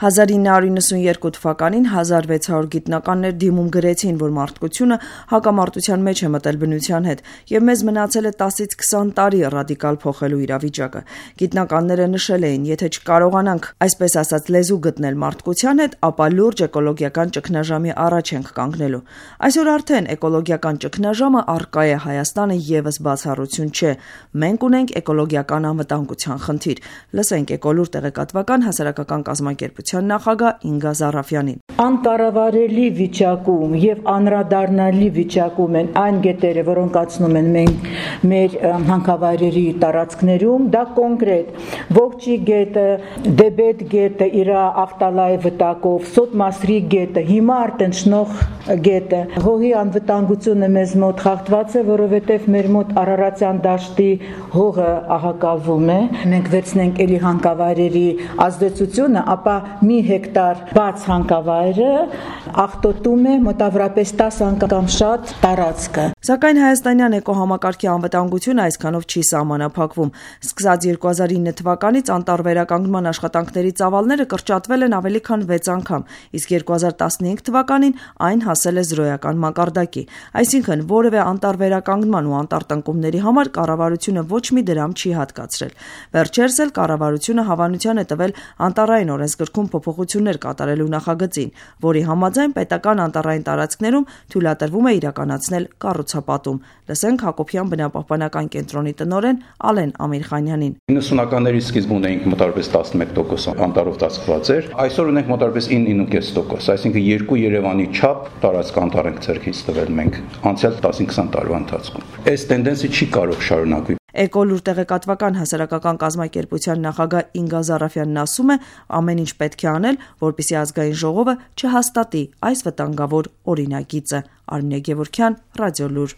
1992 թվականին 1600 գիտնականներ դիմում գրեցին, որ մարդկությունը հակամարտության մեջ է մտել բնության հետ և մեզ մնացել է 10-ից 20 տարի ռադիկալ փոխելու իրավիճակը։ Գիտնականները նշել էին, եթե չկարողանանք այսպես ասած լեզու գտնել մարդկության հետ, ապա լուրջ էկոլոգիական ճգնաժամի առաջ ենք կանգնելու։ Այսօր արդեն էկոլոգիական ճգնաժամը առկա է, Հայաստանը ևս բացառություն չէ։ Մենք ունենք էկոլոգիական անվտանգության խնդիր։ Լսենք Էկոլուր տեղեկատվական հասարակական կազմակերպության նախագահ Ինգա Զարաֆյանին։ Անկառավարելի վիճակում եւ անդրադառնալի վիճակում են այն գետերը, որոնք կացնում են մեր հանքավայրերի տարածքներում, դա կոնկրետ Ողջի գետը, Դեբետ գետը իր ախտալայ վտակով, Սոտմասրի գետը, հիմա արտնչնող գետը։ Հողի անվտանգությունը մեզ մոտ խախտված է, որովհետեւ մեր մոտ Արարատյան դաշտի հողը ահակալվում է։ Մենք վերցնենք էլի հանքավայրերի ազդեցությունը, ապա մի հեկտար բաց հանքավայրը աղտոտում է մոտավորապես 10 անգամ շատ տարածքը։ Սակայն հայաստանյան էկոհամակարգի անվտանգությունը այսքանով չի սահմանափակվում։ Սկսած 2009 թվականից անտառվերականգնման աշխատանքների ծավալները կրճատվել են ավելի քան 6 անգամ, իսկ 2015 թվականին այն հասել է զրոյական մակարդակի։ Այսինքն որևէ անտառվերականգնման ու անտառտնկումների համար կառավարությունը ոչ մի դրամ չի հատկացրել։ Վերջերս էլ կառավարությունը հավանության է տվել անտառային օրենսգրքում փոփոխություններ կատարելու նախագծին, որի համաձայն պետական անտառային տարածքներում թույլատրվում է իրականացնել կառուցապատում։ Լսենք Հակոբյան բնապահպանական կենտրոնի տնօրեն Ալեն Ամիրխանյանին։ 90-ականների սկիզբում ունեինք մոտավորապես 11% անտառով ծածկված էր։ Այսօր ունենք մոտավորապես 9.5%, այսինքն 2 Երևանի չափ տարածք անտառ ենք ձեռքից տվել մենք անցյալ 10-20 տարվա ընթացքում։ Այս տենդենսը չի կարող շարունակվել։ Էկոլուր տեղեկատվական հասարակական կազմակերպության նախագահ Ինգա Զարաֆյանն ասում է, ամեն ինչ պետք է անել, որպեսզի ազգային ժողովը չհաստատի այս վտանգավոր օրինագիծը։ Արմինե Գևորգյան, Ռադիոլուր։